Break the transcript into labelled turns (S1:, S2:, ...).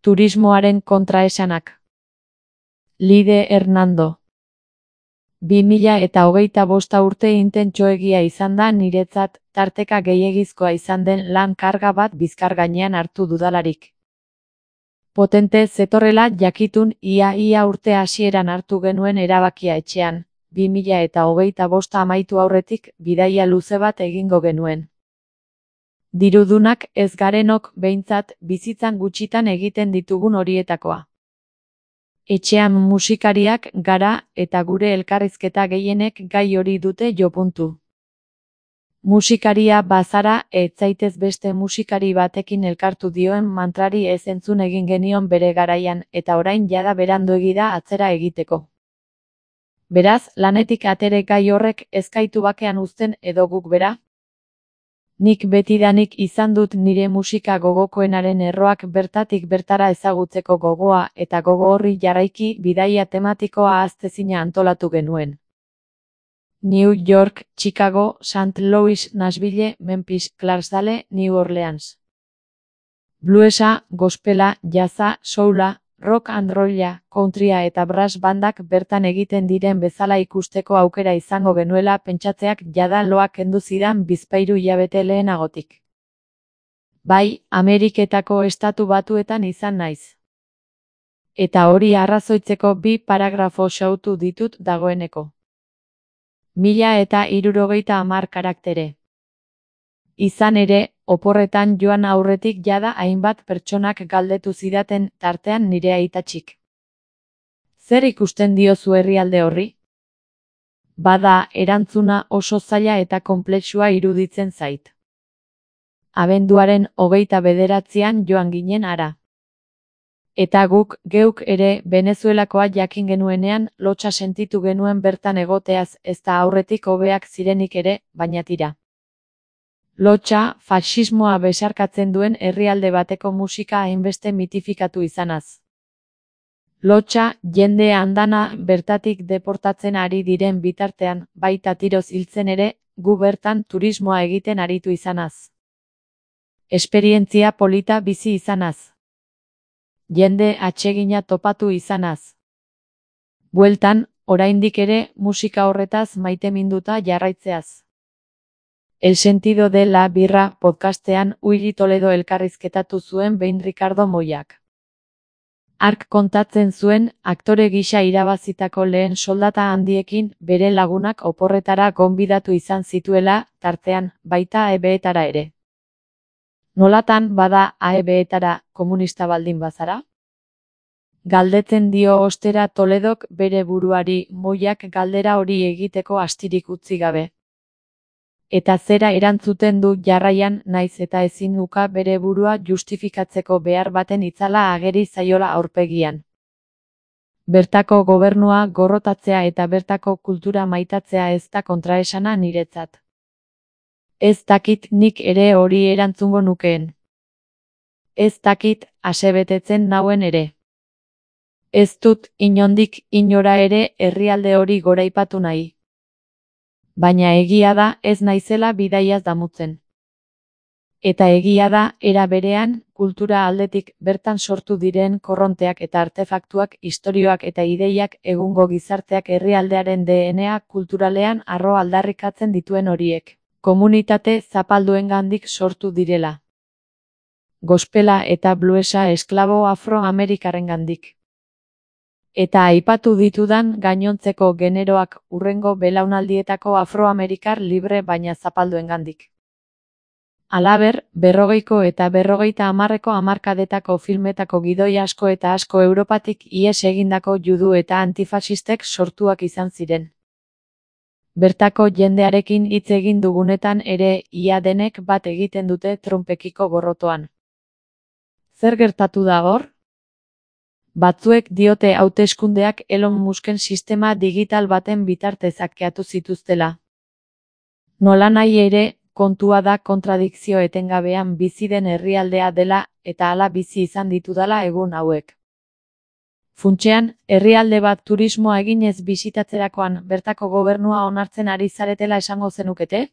S1: Turismoaren kontraesanak. Lide Hernando. 2025 urte intentsoegia izan da niretzat, tarteka gehiegizkoa izan den lan karga bat bizkar gainean hartu dudalarik. Potente zetorrela jakitun ia urte hasieran hartu genuen erabakia etxean, 2025 amaitu aurretik bidaia luze bat egingo genuen. Dirudunak ez garenok behintzat bizitzan gutxitan egiten ditugun horietakoa. Etxean musikariak gara eta gure elkarrizketa gehienek gai hori dute jopuntu. Musikaria bazara, ez zaitez beste musikari batekin elkartu dioen mantrari ez entzun egin genion bere garaian, eta orain jada beranduegi da atzera egiteko. Beraz, lanetik atere gai horrek ez gaitu bakean uzten edo guk bera? Nik betidanik izan dut nire musika gogokoenaren erroak bertatik bertara ezagutzeko gogoa eta gogo horri jarraiki bidaia tematikoa ahaztezina antolatu genuen. New York, Chicago, St. Louis, Nashville, Memphis, Clarksdale, New Orleans. Bluesa, gospela, jazza, soula, rock and rolla, countrya eta brass bandak bertan egiten diren bezala ikusteko aukera izango genuela pentsatzeak jada loak kendu zidan bizpahiru hilabete lehenagotik. Bai, Ameriketako Estatu Batuetan izan naiz. Eta hori arrazoitzeko 2 paragrafo xautu ditut dagoeneko. 1030 karaktere. Izan ere, oporretan joan aurretik jada hainbat pertsonak galdetu zidaten tartean nire aitatxik. Zer ikusten diozu herrialde horri? Bada, erantzuna oso zaila eta konplexua iruditzen zait. Abenduaren 29an joan ginen hara. Eta guk geuk ere Venezuelakoa jakin genuenean lotsa sentitu genuen bertan egoteaz ez da aurretik hobeak zirenik ere, baina tira. Lotsa, faxismoa besarkatzen duen herrialde bateko musika hainbeste mitifikatu izanaz. Lotsa, jende andana bertatik deportatzen ari diren bitartean, baita tiroz hiltzen ere, gu bertan turismoa egiten aritu izanaz. Esperientzia polita bizi izanaz. Jende atsegina topatu izanaz. Bueltan, oraindik ere, musika horretaz maiteminduta jarraitzeaz. El sentido de la birra podcastean Uri Toledo elkarrizketatu zuen behin Ricardo Moyak. Hark kontatzen zuen, aktore gisa irabazitako lehen soldata handiekin bere lagunak oporretara gonbidatu izan zituela, tartean, baita AEB-etara ere. Nolatan bada AEB-etara komunista baldin bazara? Galdetzen dio ostera Toledok bere buruari Moyak galdera hori egiteko astirik utzi gabe. Eta zera erantzuten du jarraian naiz eta ezin uka bere burua justifikatzeko behar baten itzala ageri zaiola aurpegian. Bertako gobernua gorrotatzea eta bertako kultura maitatzea ez da kontraesana niretzat. Ez dakit nik ere hori erantzungo nukeen. Ez dakit asebetetzen nauen ere. Ez dut inondik inora ere herrialde hori goraipatu nahi. Baina egia da ez naizela bidaiaz damutzen. Eta egia da, era berean, kultura aldetik bertan sortu diren korronteak eta artefaktuak, istorioak eta ideiak egungo gizarteak herrialdearen DNA kulturalean arro aldarrikatzen dituen horiek, komunitate zapalduengandik sortu direla. Gospela eta bluesa esklabo afroamerikarrengandik. Eta aipatu ditudan gainontzeko generoak hurrengo belaunaldietako afroamerikar libre baina zapalduengandik. Halaber, 40ko eta 50ko hamarkadetako filmetako gidoi asko eta asko Europatik ihes egindako judu eta antifasistek sortuak izan ziren. Bertako jendearekin hitz egin dugunetan ere ia denek bat egiten dute Trumpekiko gorrotoan. Zer gertatu da hor? Batzuek diote hauteskundeak Elon Musken sistema digital baten bitartez hakkeatu zituztela. Nolanahi ere, kontua da kontradikzio etengabean bizi den herrialdea dela eta hala bizi izan ditudala egun hauek. Funtsean, herrialde bat turismoa eginez bisitatzerakoan bertako gobernua onartzen ari zaretela esango zenukete?